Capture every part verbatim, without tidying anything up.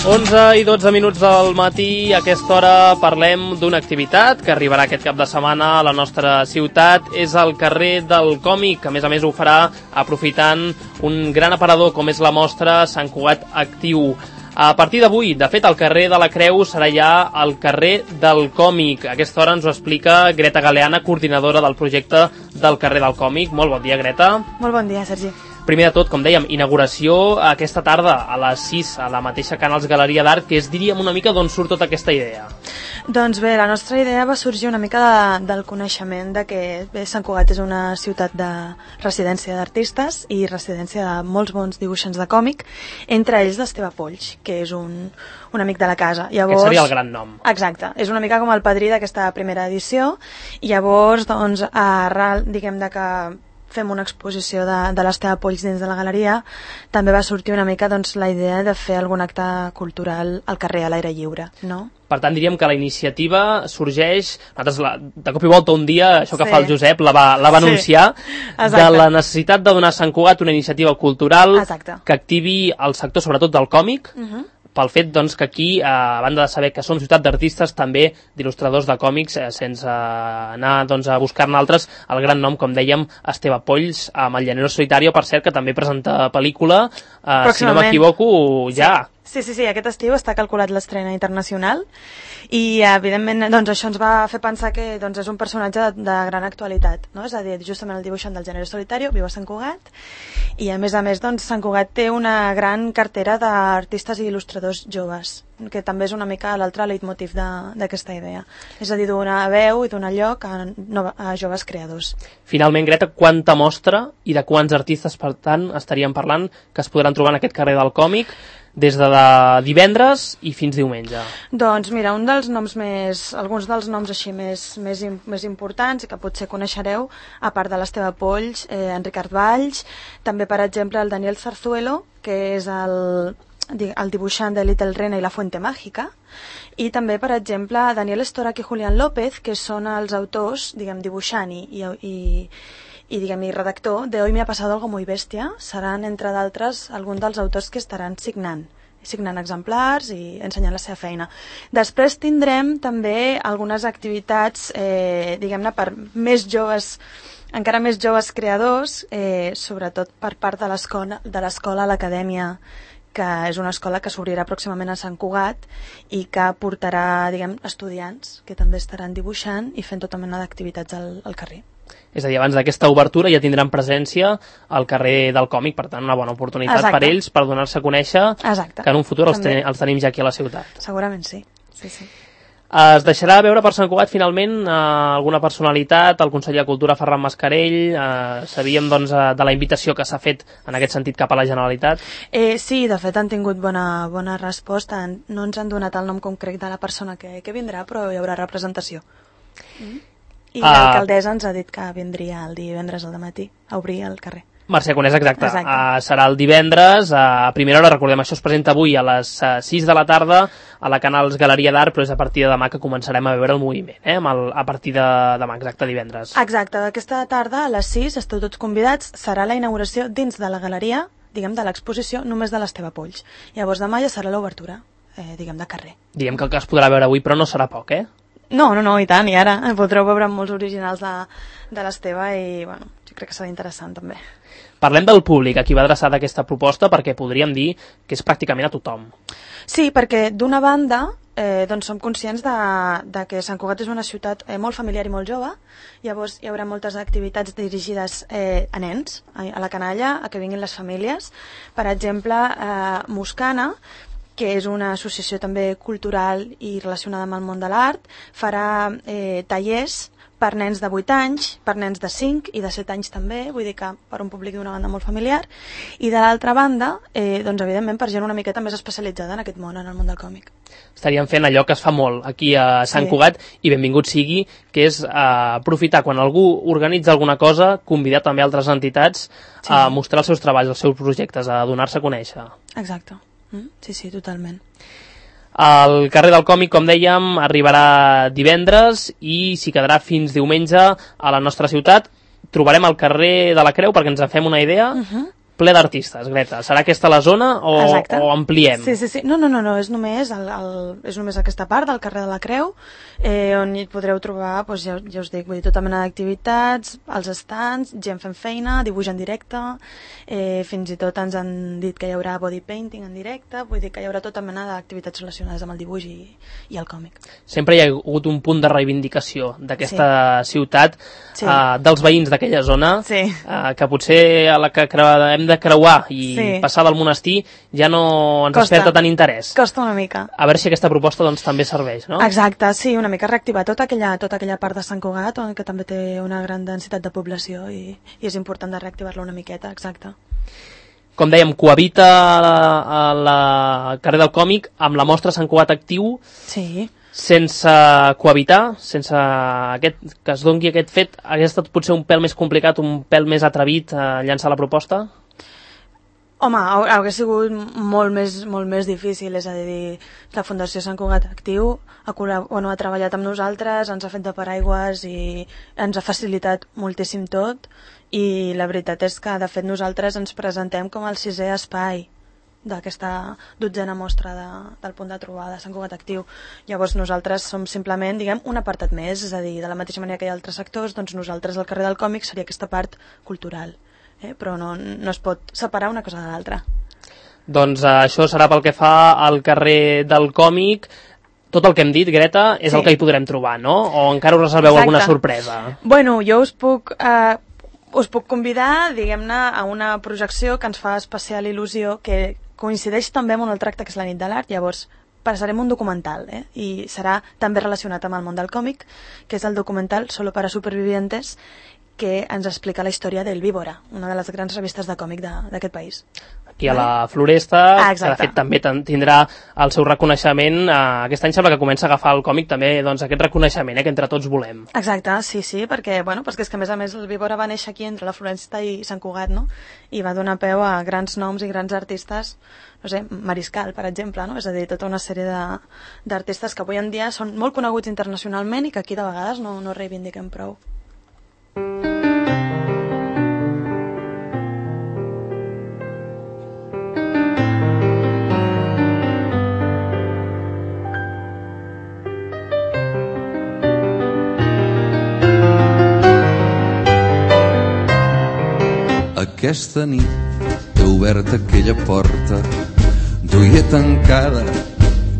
onze i dotze minuts del matí, a aquesta hora parlem d'una activitat que arribarà aquest cap de setmana a la nostra ciutat. És el carrer del còmic, que a més a més ho farà aprofitant un gran aparador com és la mostra Sant Cugat Actiu. A partir d'avui, de fet, el carrer de la Creu serà ja el carrer del còmic. A aquesta hora ens ho explica Greta Galeana, coordinadora del projecte del carrer del còmic. Molt bon dia, Greta. Molt bon dia, Sergi. Primer de tot, com dèiem, inauguració aquesta tarda a les sis a la mateixa Canals Galeria d'Art, que és, diríem, una mica d'on surt tota aquesta idea. Doncs bé, la nostra idea va sorgir una mica de, del coneixement de que bé, Sant Cugat és una ciutat de residència d'artistes i residència de molts bons dibuixants de còmic, entre ells d'Esteve Polls, que és un, un amic de la casa. Llavors, Aquest seria el gran nom. Exacte, és una mica com el padrí d'aquesta primera edició, i llavors, doncs, arrel, diguem de que fem una exposició de, de l'Esteve Polls dins de la galeria, també va sortir una mica doncs, la idea de fer algun acte cultural al carrer a l'aire lliure, no? Per tant, diríem que la iniciativa sorgeix, nosaltres la, de cop i volta un dia, això que sí. fa el Josep, la va, la va anunciar, sí. de la necessitat de donar a Sant Cugat una iniciativa cultural Exacte. Que activi el sector, sobretot del còmic, uh -huh. pel fet doncs, que aquí, eh, a banda de saber que som ciutat d'artistes, també d'il·lustradors de còmics, eh, sense anar doncs, a buscar-ne altres, el gran nom, com dèiem, Esteve Polls, amb el Llanero Solitario, per cert, que també presenta pel·lícula, eh, si no m'equivoco, ja. Sí, sí, sí, aquest estiu està calculat l'estrena internacional i, evidentment, doncs, això ens va fer pensar que doncs, és un personatge de, de gran actualitat, no? És a dir, justament el dibuixant del Llanero Solitario viu a Sant Cugat i, a més a més, doncs, Sant Cugat té una gran cartera d'artistes i il·lustradors joves, que també és una mica l'altre leitmotiv d'aquesta idea. És a dir, donar veu i donar lloc a, a joves creadors. Finalment, Greta, quanta mostra i de quants artistes, per tant, estaríem parlant que es podran trobar en aquest carrer del còmic des de divendres i fins diumenge? Doncs mira, un dels noms més, alguns dels noms així més, més, més importants i que potser coneixereu, a part de l'Esteve Polls, eh, en Ricard Valls, també, per exemple, el Daniel Zarzuelo, que és el, el dibuixant de Little Rena i la Fuente Màgica, i també, per exemple, Daniel Estorac i Julián López, que són els autors, diguem, dibuixant i, i, i i, diguem, i redactor de Hoy me ha pasado algo muy bestia. Seran, entre d'altres, alguns dels autors que estaran signant signant exemplars i ensenyant la seva feina. Després tindrem també algunes activitats, eh, diguem-ne, per més joves, encara més joves creadors, eh, sobretot per part de l'escola, de l'escola a l'Acadèmia, que és una escola que s'obrirà pròximament a Sant Cugat i que portarà, diguem, estudiants que també estaran dibuixant i fent tota mena d'activitats al, al carrer. És a dir, abans d'aquesta obertura ja tindran presència al carrer del còmic, per tant, una bona oportunitat Exacte. Per ells, per donar-se a conèixer, Exacte. Que en un futur els, ten els tenim ja aquí a la ciutat. Segurament sí. sí, sí. Es deixarà veure per Sant Cugat, finalment, eh, alguna personalitat, el conseller de Cultura, Ferran Mascarell, eh, sabíem doncs, de la invitació que s'ha fet en aquest sentit cap a la Generalitat? Eh, sí, de fet han tingut bona, bona resposta, no ens han donat el nom concret de la persona que, que vindrà, però hi haurà representació. Mm. I uh, l'alcaldessa ens ha dit que vindria el divendres al matí a obrir el carrer. Mercè Conés, exacte. exacte. Uh, serà el divendres, uh, a primera hora, recordem, això es presenta avui a les uh, sis de la tarda a la Canals Galeria d'Art, però és a partir de demà que començarem a veure el moviment, eh? El, a partir de demà, exacte, divendres. Exacte, aquesta tarda a les sis esteu tots convidats, serà la inauguració dins de la galeria, diguem, de l'exposició només de l'Esteve Polls. Llavors demà ja serà l'obertura, eh, diguem, de carrer. Diguem que el que es podrà veure avui, però no serà poc, eh? No, no, no, i tant, i ara podreu veure molts originals de, de l'Esteve i, bueno, jo crec que serà interessant també. Parlem del públic a qui va adreçada aquesta proposta, perquè podríem dir que és pràcticament a tothom. Sí, perquè d'una banda eh, doncs som conscients de, de que Sant Cugat és una ciutat eh, molt familiar i molt jove, llavors hi haurà moltes activitats dirigides eh, a nens, a, a la canalla, a que vinguin les famílies. Per exemple, eh, Muscana, que és una associació també cultural i relacionada amb el món de l'art, farà eh, tallers per nens de vuit anys, per nens de cinc i de set anys també, vull dir que per un públic d'una banda molt familiar, i de l'altra banda, eh, doncs evidentment per gent una miqueta més especialitzada en aquest món, en el món del còmic. Estaríem fent allò que es fa molt aquí a Sant sí. Cugat, i benvingut sigui, que és eh, aprofitar quan algú organitza alguna cosa, convidar també altres entitats sí. a mostrar els seus treballs, els seus projectes, a donar-se a conèixer. Exacte. Sí, sí, totalment. El carrer del còmic, com dèiem, arribarà divendres i s'hi quedarà fins diumenge a la nostra ciutat. Trobarem el carrer de la Creu, perquè ens en fem una idea, uh-huh. ple d'artistes, Greta. Serà aquesta la zona o, o ampliem? Sí, sí, sí. No, no, no, no. És, només el, el, és només aquesta part del carrer de la Creu, eh, on hi podreu trobar, doncs, ja, ja us dic, vull dir, tota mena d'activitats, els stands, gent fent feina, dibuix en directe, eh, fins i tot ens han dit que hi haurà body painting en directe, vull dir que hi haurà tota mena d'activitats relacionades amb el dibuix i, i el còmic. Sempre hi ha hagut un punt de reivindicació d'aquesta sí. ciutat, sí. eh, dels veïns d'aquella zona, sí. eh, que potser a la que hem de creuar i sí. passar del monestir ja no ens costa, desperta tant interès. Costa una mica. A veure si aquesta proposta doncs, també serveix, no? Exacte, sí, una mica reactivar tota aquella, tota aquella part de Sant Cugat, que també té una gran densitat de població i, i és important de reactivar-la una miqueta, exacte. Com dèiem, cohabita a, a la carrer del Còmic amb la mostra Sant Cugat Actiu. Sí. Sense cohabitar, sense aquest, que es doni aquest fet, hauria estat potser un pèl més complicat, un pèl més atrevit a llançar la proposta? Home, hauria sigut molt més, molt més difícil, és a dir, la Fundació Sant Cugat Actiu ha, bueno, ha treballat amb nosaltres, ens ha fet de paraigües i ens ha facilitat moltíssim tot, i la veritat és que, de fet, nosaltres ens presentem com el sisè espai d'aquesta dotzena mostra de, del punt de trobada Sant Cugat Actiu. Llavors nosaltres som simplement, diguem, un apartat més, és a dir, de la mateixa manera que hi ha altres sectors, doncs nosaltres al carrer del Còmic seria aquesta part cultural. Eh, però no, no es pot separar una cosa de l'altra. Doncs eh, això serà pel que fa al carrer del Còmic. Tot el que hem dit, Greta, és sí. el que hi podrem trobar, no? O encara us reserveu Exacte. alguna sorpresa? Bueno, jo us puc, eh, us puc convidar, diguem-ne, a una projecció que ens fa especial il·lusió, que coincideix també amb un altre acte, que és la nit de l'art. Llavors passarem un documental, eh? I serà també relacionat amb el món del còmic, que és el documental Solo para Supervivientes, que ens explica la història del Víbora, una de les grans revistes de còmic d'aquest país. Aquí a la Floresta, ah, que de fet també tindrà el seu reconeixement. Eh, aquest any sembla que comença a agafar el còmic també doncs, aquest reconeixement eh, que entre tots volem. Exacte, sí, sí, perquè, bueno, perquè és que a més a més el Víbora va néixer aquí entre la Floresta i Sant Cugat, no? I va donar peu a grans noms i grans artistes, no sé, Mariscal, per exemple, no? És a dir, tota una sèrie d'artistes que avui en dia són molt coneguts internacionalment i que aquí de vegades no, no reivindiquem prou. Aquesta nit he obert aquella porta, duia tancada,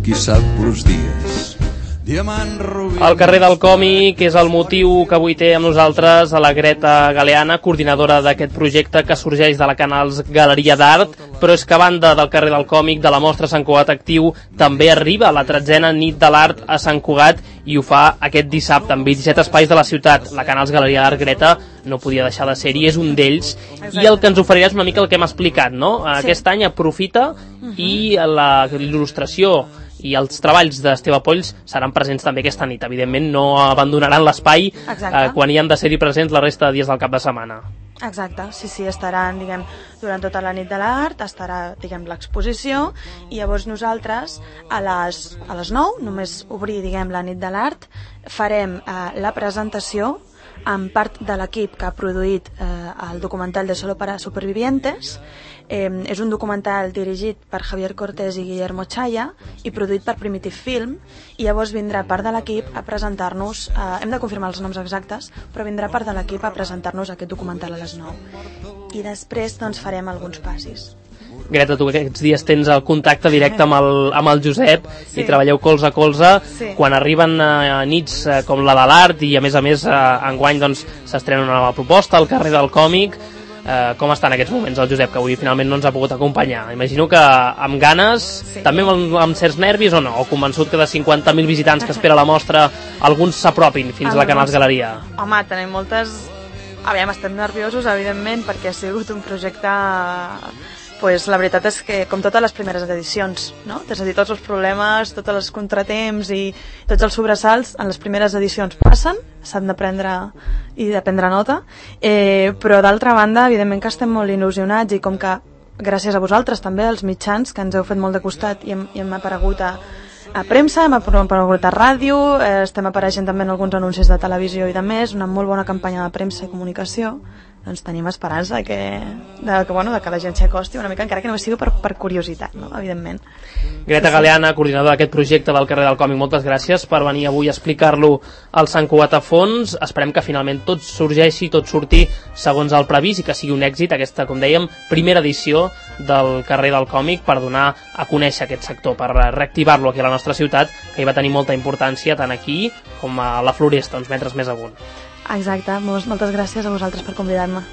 qui sap los dies. El carrer del Còmic és el motiu que avui té amb nosaltres a la Greta Galeana, coordinadora d'aquest projecte que sorgeix de la Canals Galeria d'Art, però és que a banda del carrer del Còmic, de la mostra Sant Cugat Actiu, també arriba la tretzena nit de l'art a Sant Cugat i ho fa aquest dissabte amb vint-i-set espais de la ciutat. La Canals Galeria d'Art, Greta, no podia deixar de ser-hi, és un d'ells. I el que ens oferirà és una mica el que hem explicat, no? Sí. Aquest any aprofita uh-huh. i la il·lustració i els treballs d'Esteve Polls seran presents també aquesta nit. Evidentment no abandonaran l'espai eh, quan hi han de ser-hi presents la resta de dies del cap de setmana. Exacte, sí, sí, estaran, diguem, durant tota la nit de l'art, estarà, diguem, l'exposició, i llavors nosaltres a les, a les nou, només obrir, diguem, la nit de l'art, farem eh, la presentació amb part de l'equip que ha produït eh, el documental de Solo para Supervivientes. Eh, és un documental dirigit per Javier Cortés i Guillermo Chaya i produït per Primitive Film, i llavors vindrà part de l'equip a presentar-nos, eh, hem de confirmar els noms exactes, però vindrà part de l'equip a presentar-nos aquest documental a les nou. I després doncs farem alguns passis. Greta, tu aquests dies tens el contacte directe amb el, amb el Josep sí. i treballeu colze a colze. Sí. Quan arriben a nits com la de l'art i a més a més enguany doncs, s'estrena una nova proposta al carrer del Còmic, eh, com està en aquests moments el Josep, que avui finalment no ens ha pogut acompanyar? Imagino que amb ganes, sí. també amb, amb certs nervis o no? O convençut que de cinquanta mil visitants que espera la mostra alguns s'apropin fins a la Canals Galeria? Home, tenim moltes... Aviam, estem nerviosos, evidentment, perquè ha sigut un projecte... Pues la veritat és que, com totes les primeres edicions, no? És a dir, tots els problemes, tots els contratemps i tots els sobresalts en les primeres edicions passen, s'han de prendre i de prendre nota, eh, però d'altra banda, evidentment que estem molt il·lusionats i com que, gràcies a vosaltres també, els mitjans, que ens heu fet molt de costat i hem, i hem aparegut a, a premsa, hem aparegut a ràdio, eh, estem apareixent també en alguns anuncis de televisió i de més, una molt bona campanya de premsa i comunicació, doncs tenim esperança que, de, que, bueno, de que la gent s'hi acosti una mica, encara que no sigui per, per curiositat, no? Evidentment. Greta Galeana, coordinadora d'aquest projecte del carrer del còmic, moltes gràcies per venir avui a explicar-lo al Sant Cugat a fons. Esperem que finalment tot sorgeixi, tot surti segons el previst i que sigui un èxit aquesta, com dèiem, primera edició del carrer del còmic per donar a conèixer aquest sector, per reactivar-lo aquí a la nostra ciutat, que hi va tenir molta importància tant aquí com a la Floresta, uns metres més amunt. Exacte, moltes gràcies a vosaltres per convidar-me.